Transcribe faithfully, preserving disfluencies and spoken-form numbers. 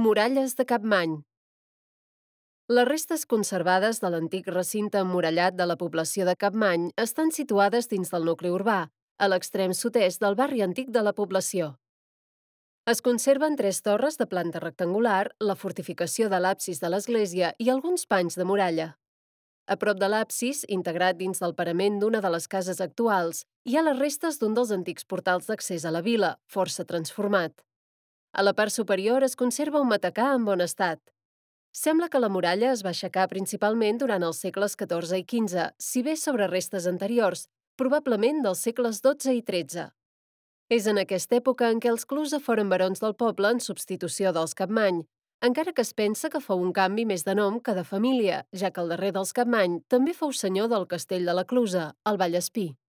Muralles de Capmany. Les restes conservades de l'antic recinte emmurallat de la població de Capmany estan situades dins del nucli urbà, a l'extrem sud-est del barri antic de la població. Es conserven tres torres de planta rectangular, la fortificació de l'absis de l'església i alguns panys de muralla. A prop de l'absis, integrat dins del parament d'una de les cases actuals, hi ha les restes d'un dels antics portals d'accés a la vila, força transformat. A la part superior es conserva un matacà en bon estat. Sembla que la muralla es va aixecar principalment durant els segles catorze i quinze, si bé sobre restes anteriors, probablement dels segles dotze i tretze. És en aquesta època en què els Clusa foren barons del poble en substitució dels Capmany, encara que es pensa que fou un canvi més de nom que de família, ja que el darrer dels Capmany també fou senyor del castell de la Clusa, al Vallespir.